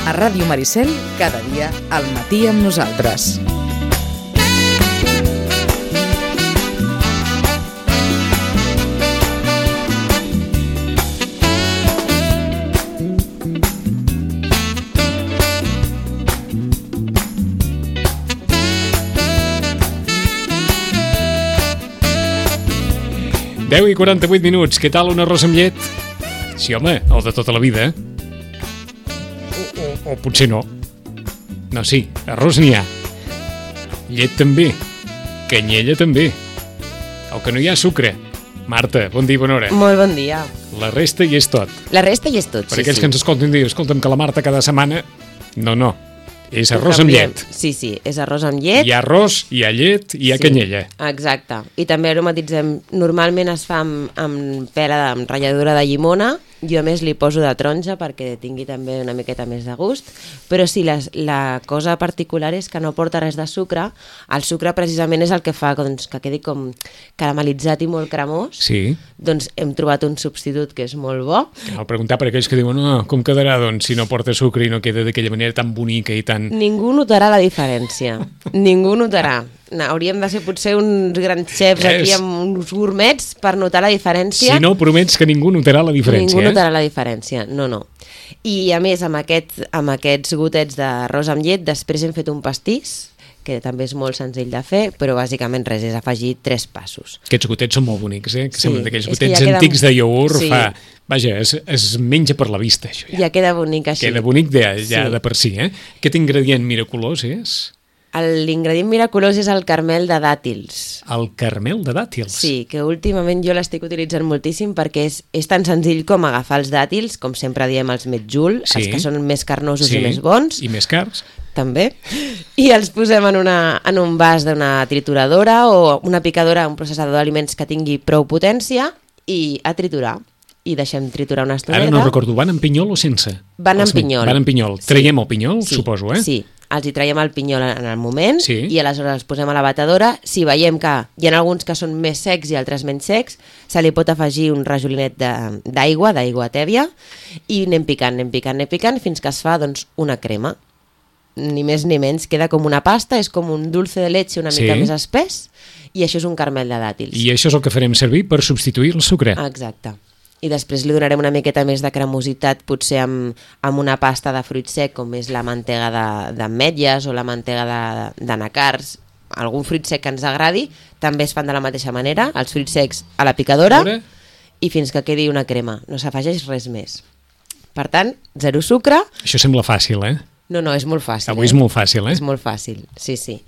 A Ràdio Maricel, cada dia al matí amb nosaltres. Deu i 48 minuts. Què tal un arròs amb llet? Sí, home, el de tota la vida. O potser no. No, sí, arròs n'hi ha. Llet també. Canyella també. El que no hi ha sucre. Marta, bon dia i bona hora. Molt bon dia. La resta hi és tot. La resta hi és tot, Per aquells que ens escolten dir, escolta'm, que la Marta cada setmana... No. És Ho arròs amb canviem. llet. Sí, és arròs amb llet. Hi ha arròs, hi ha llet, hi ha canyella. Exacte. I també aromatitzem... Normalment es fa amb pera, amb ratlladura de llimona. Jo, a més, li poso de taronja perquè tingui també una miqueta més de gust. Però sí, la cosa particular és que no porta res de sucre. El sucre precisament és el que fa doncs, que quedi com caramelitzat i molt cremós. Sí. Doncs hem trobat un substitut que és molt bo. Cal preguntar per aquells que diuen com quedarà doncs, si no porta sucre i no queda d'aquella manera tan bonica i tan... Ningú notarà la diferència. Ningú notarà. No, hauríem de ser potser uns grans xefs aquí amb uns gourmets per notar la diferència. Si no, promets que ningú notarà la diferència. Ningú notarà la diferència, no. I a més, amb aquests gotets d'arròs amb llet, després hem fet un pastís, que també és molt senzill de fer, però bàsicament res, és afegir 3 passos. Aquests gotets són molt bonics, que Sí, semblen d'aquells és que gotets ja queda... antics de iogurt. Sí. Vaja, es menja per la vista, això ja. Ja queda bonic així. Queda bonic ja Sí. de per si, Aquest ingredient miraculós és... L'ingredient miraculós és el caramel de dàtils. El caramel de dàtils. Sí, que últimament jo l'estic utilitzant moltíssim perquè és tan senzill com agafar els dàtils, com sempre diem els metjul, els que són més carnosos i més bons. I més cars. També. I els posem en un vas d'una trituradora o una picadora, un processador d'aliments que tingui prou potència i a triturar. I deixem triturar una estoneta. Ara no recordo, van amb pinyol o sense? Van amb pinyol. Van amb pinyol. Sí. Traiem el pinyol, Sí. suposo, Sí, els hi traiem el pinyol en el moment Sí. i aleshores els posem a la batedora. Si veiem que hi ha alguns que són més secs i altres menys secs, se li pot afegir un rajolinet d'aigua tèbia i anem picant fins que es fa doncs, una crema. Ni més ni menys, queda com una pasta, és com un dulce de leche una mica més espès i això és un caramel de dàtils. I això és el que farem servir per substituir el sucre. Exacte. I després li donarem una miqueta més de cremositat, potser amb una pasta de fruit sec, com és la mantega d'ametlles o la mantega d'anacards, algun fruit sec que ens agradi, també es fan de la mateixa manera, els fruits secs a la picadora i fins que quedi una crema, no s'afegeix res més. Per tant, 0 sucre. Això sembla fàcil, No, és molt fàcil. Avui és molt fàcil, És molt fàcil, sí.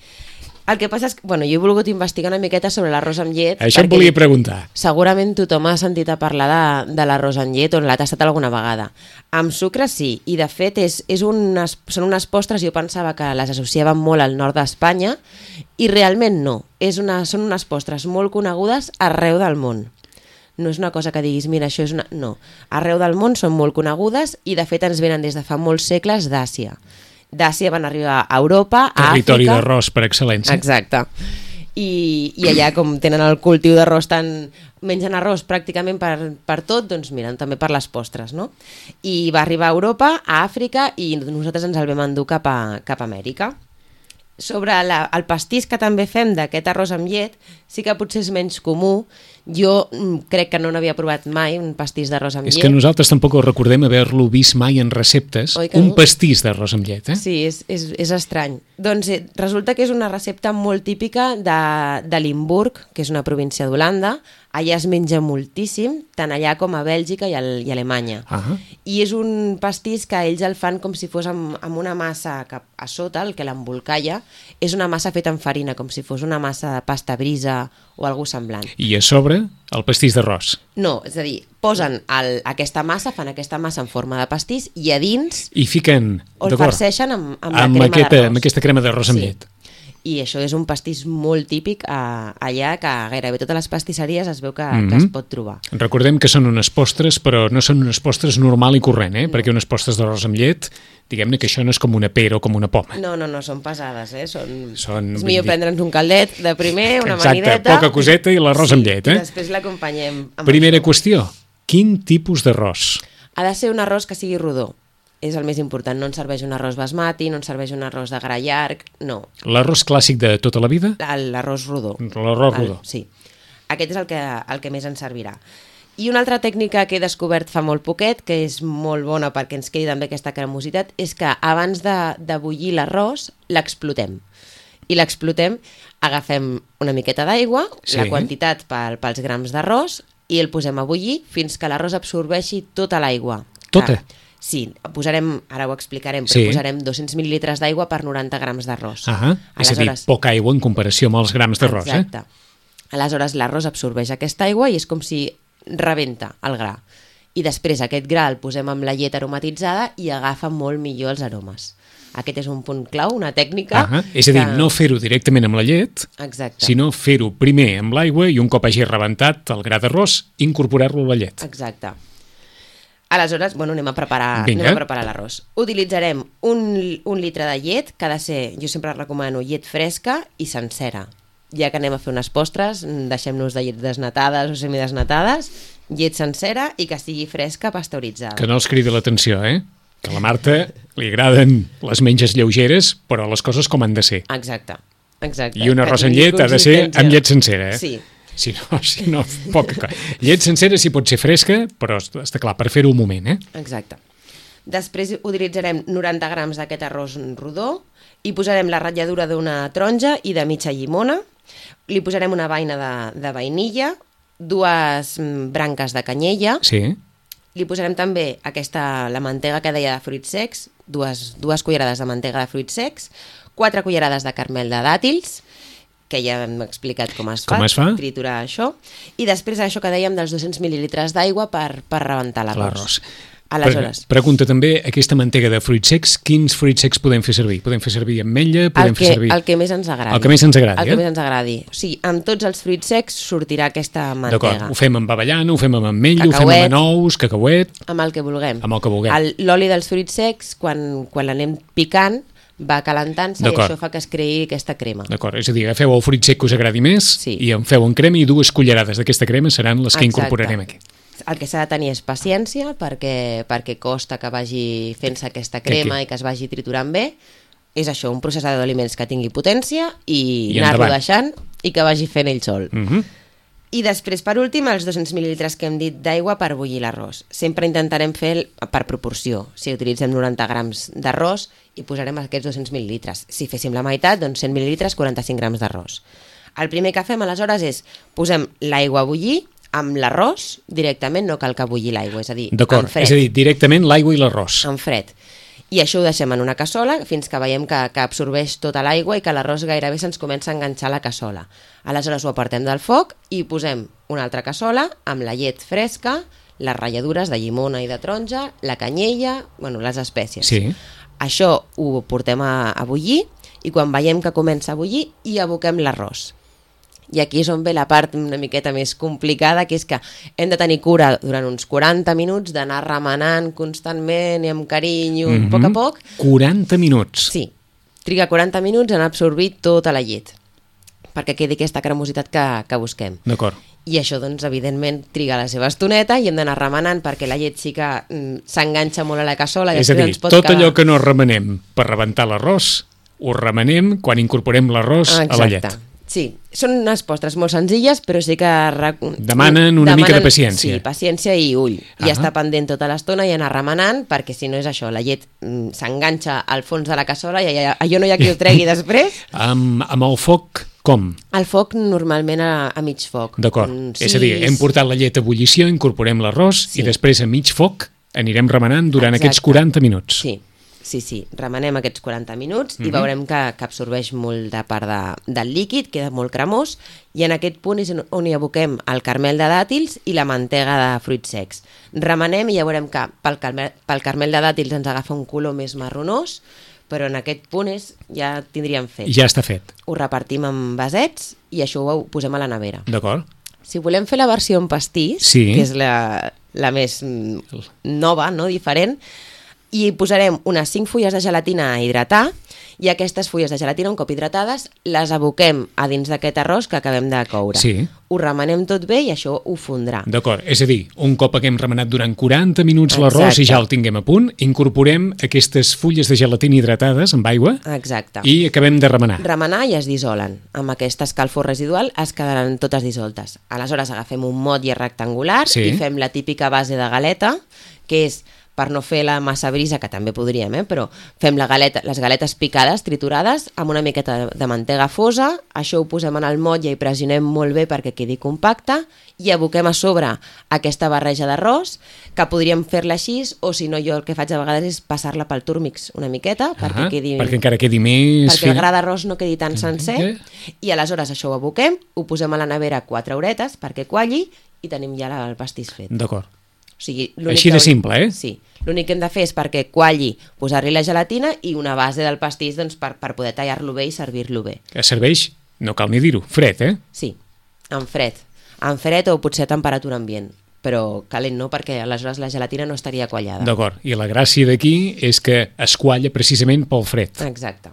El que passa és que, jo he volgut investigar una miqueta sobre l'arròs amb llet. Això em volia preguntar. Segurament tothom ha sentit a parlar de l'arròs amb llet o l'ha tastat alguna vegada. Amb sucre sí, i de fet són unes postres, jo pensava que les associaven molt al nord d'Espanya, i realment no. Són unes postres molt conegudes arreu del món. No és una cosa que diguis, mira, això és una... No, arreu del món són molt conegudes i de fet ens venen des de fa molts segles d'Àsia. D'Àsia van arribar a Europa, a Àfrica... Territori d'arròs per excel·lència. Exacte. I allà, com tenen el cultiu d'arròs mengen arròs pràcticament per tot, doncs miren, també per les postres, no? I va arribar a Europa, a Àfrica, i nosaltres ens el vam endur cap a Amèrica. Sobre el pastís que també fem d'aquest arròs amb llet, sí que potser és menys comú. Jo crec que no n'havia provat mai un pastís d'arròs amb llet. És que nosaltres tampoc recordem haver-lo vist mai en receptes, un pastís d'arròs amb llet, Sí, és estrany. Doncs resulta que és una recepta molt típica de Limburg, que és una província d'Holanda. Allà es menja moltíssim, tant allà com a Bèlgica i a Alemanya. I és un pastís que ells el fan com si fos amb una massa que a sota, el que l'embolcalla, és una massa feta amb farina, com si fos una massa de pasta brisa o alguna semblant. I a sobre el pastís d'arròs. No, és a dir, posen aquesta massa, fan aquesta massa en forma de pastís i a dins i fiquen, o el farceixen amb la crema d'arròs. Amb aquesta crema d'arròs amb llet. I això és un pastís molt típic allà, que gairebé totes les pastisseries es veu que es pot trobar. Recordem que són unes postres, però no són unes postres normal i corrent, perquè unes postres d'arròs amb llet, diguem-ne que això no és com una pera o com una poma. No, són pesades, És millor prendre'ns un caldet de primer, una amanideta... Exacte, poca coseta i l'arròs amb llet, I després l'acompanyem amb Primera qüestió, quin tipus d'arròs? Ha de ser un arròs que sigui rodó. és el més important. No ens serveix un arròs basmati, no ens serveix un arròs de gra llarg, no. L'arròs clàssic de tota la vida? L'arròs rodó. L'arròs rodó. Sí. Aquest és el que més ens servirà. I una altra tècnica que he descobert fa molt poquet, que és molt bona perquè ens quedi també aquesta cremositat, és que abans de bullir l'arròs, l'explotem. I l'explotem, agafem una miqueta d'aigua, la quantitat pels grams d'arròs, i el posem a bullir fins que l'arròs absorbeixi tota l'aigua. Tota? Sí, posarem, ara ho explicarem, però posarem 200 mil·lilitres d'aigua per 90 grams d'arròs. És a dir, poca aigua en comparació amb els grams d'arròs. Exacte. Aleshores, l'arròs absorbeix aquesta aigua i és com si rebenta el gra. I després aquest gra el posem amb la llet aromatitzada i agafa molt millor els aromes. Aquest és un punt clau, una tècnica... És a dir, no fer-ho directament amb la llet, sinó fer-ho primer amb l'aigua i un cop hagi rebentat el gra d'arròs, incorporar-lo a la llet. Exacte. Aleshores, anem a preparar l'arròs. Utilitzarem un litre de llet, que ha de ser, jo sempre recomano llet fresca i sencera. Ja que anem a fer unes postres, deixem-nos de llet desnatades o semidesnatades, llet sencera i que estigui fresca, pasteuritzada. Que no els cridi l'atenció, Que a la Marta li agraden les menges lleugeres, però les coses com han de ser. Exacte. I un arròs amb llet ha de ser amb llet sencera, Sí. Si no, poca cosa. Llet sencera sí pot ser fresca, però està clar, per fer-ho un moment, Exacte. Després utilitzarem 90 grams d'aquest arròs rodó i posarem la ratlladura d'una taronja i de mitja llimona. Li posarem una beina de vainilla, 2 branques de canyella. Sí. Li posarem també la mantega que deia de fruits secs, 2 cullerades de mantega de fruits secs, 4 cullerades de carmel de dàtils, que ja hem explicat com es fa, triturar això, i després això que dèiem dels 200 mil·lilitres d'aigua per rebentar l'arròs. Aleshores... Pregunta també, aquesta mantega de fruits secs, quins fruits secs podem fer servir? Podem fer servir ametlla? El que més ens agradi. El que més ens agradi, El que més ens agradi. O sigui, amb tots els fruits secs sortirà aquesta mantega. D'acord, ho fem amb avellana, ho fem amb ametlla, ho fem amb anous, cacauet... Amb el que vulguem. Amb el que vulguem. L'oli dels fruits secs, quan l'anem picant, va calentant-se i això fa que es creï aquesta crema. D'acord, és a dir, agafeu el fruit sec que us agradi més i en feu en crema i 2 cullerades d'aquesta crema seran les que incorporarem aquí. El que s'ha de tenir és paciència perquè costa que vagi fent-se aquesta crema i que es vagi triturant bé. És això, un processador d'aliments que tingui potència i anar-lo deixant i que vagi fent ell sol. I després, per últim, els 200 mil·lilitres que hem dit d'aigua per bullir l'arròs. Sempre intentarem fer per proporció. Si utilitzem 90 grams d'arròs, hi posarem aquests 200 mil·lilitres. Si féssim la meitat, doncs 100 mil·lilitres, 45 grams d'arròs. El primer que fem, aleshores, és posem l'aigua a bullir amb l'arròs directament, no cal que bulli l'aigua, és a dir, en fred. És a dir, directament l'aigua i l'arròs. En fred. I això ho deixem en una cassola fins que veiem que absorbeix tota l'aigua i que l'arròs gairebé se'ns comença a enganxar a la cassola. Aleshores ho apartem del foc i posem una altra cassola amb la llet fresca, les ratlladures de llimona i de taronja, la canyella, les espècies. Sí. Això ho portem a bullir i quan veiem que comença a bullir hi aboquem l'arròs. I aquí és on ve la part una miqueta més complicada, que és que hem de tenir cura durant uns 40 minuts d'anar remenant constantment i amb carinyo, a poc. 40 minuts? Sí, triga 40 minuts en absorbir tota la llet, perquè quedi aquesta cremositat que busquem. D'acord. I això, doncs, evidentment, triga la seva estoneta i hem d'anar remenant perquè la llet sí que s'enganxa molt a la cassola. És a dir, tot allò que no remenem per rebentar l'arròs, ho remenem quan incorporem l'arròs a la llet. Sí, són unes postres molt senzilles, però sí que... Demanen una mica de paciència. Sí, paciència i ull. I estar pendent tota l'estona i anar remenant, perquè si no és això, la llet s'enganxa al fons de la cassola i allò no hi ha qui ho tregui després. Amb el foc, com? El foc normalment a mig foc. D'acord, és a dir, hem portat la llet a ebullició, incorporem l'arròs i després a mig foc anirem remenant durant aquests 40 minuts. Sí, remenem aquests 40 minuts i veurem que absorbeix molt de part del líquid, queda molt cremós, i en aquest punt és on hi aboquem el carmel de dàtils i la mantega de fruits secs. Remenem i ja veurem que pel carmel de dàtils ens agafa un color més marronós, però en aquest punt ja tindríem fet. Ja està fet. Ho repartim en vasets i això ho posem a la nevera. D'acord. Si volem fer la versió en pastís, que és la més nova, no, diferent, I posarem unes 5 fulles de gelatina a hidratar i aquestes fulles de gelatina, un cop hidratades, les aboquem a dins d'aquest arròs que acabem de coure. Sí. Ho remenem tot bé i això ho fondrà. D'acord, és a dir, un cop haguem remenat durant 40 minuts l'arròs i ja el tinguem a punt, incorporem aquestes fulles de gelatina hidratades amb aigua. Exacte. I acabem de remenar. Remenar i es dissolen. Amb aquesta escalfor residual es quedaran totes dissoltes. Aleshores agafem un motlle rectangular i fem la típica base de galeta, que és, per no fer la massa brisa, que també podríem, però fem les galetes picades, triturades, amb una miqueta de mantega fosa, això ho posem en el motlle i pressionem molt bé perquè quedi compacte, i aboquem a sobre aquesta barreja d'arròs, que podríem fer-la així, o si no, jo el que faig a vegades és passar-la pel Turmix una miqueta, perquè encara quedi més... Perquè el gra d'arròs no quedi tan sencer, i aleshores això ho aboquem, ho posem a la nevera 4 horetes perquè qualli, i tenim ja el pastís fet. D'acord. O sigui, així de simple, Sí. L'únic que hem de fer és perquè qualli, posar-li la gelatina i una base del pastís per poder tallar-lo bé i servir-lo bé. Que serveix, no cal ni dir-ho, fred, Sí, en fred. En fred o potser a temperatura ambient, però calent no, perquè aleshores la gelatina no estaria quallada. D'acord, i la gràcia d'aquí és que es qualla precisament pel fred. Exacte.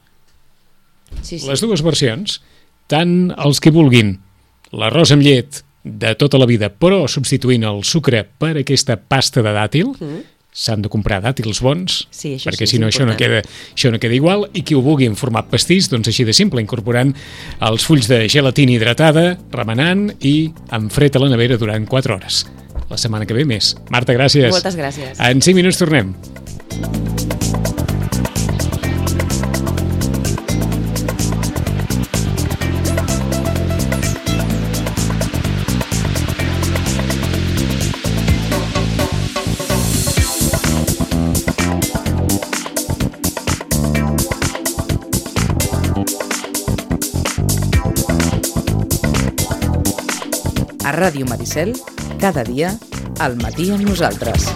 Sí. Les dues versions, tant els que vulguin l'arròs amb llet de tota la vida, però substituint el sucre per aquesta pasta de dàtil, s'han de comprar dàtils bons, perquè si no això no queda igual, i qui ho vulgui en format pastís, doncs així de simple, incorporant els fulls de gelatina hidratada, remenant i amb fred a la nevera durant 4 hores. La setmana que ve més. Marta, gràcies. Moltes gràcies. En 5 minuts tornem. A Ràdio Maricel, cada dia, al matí amb nosaltres.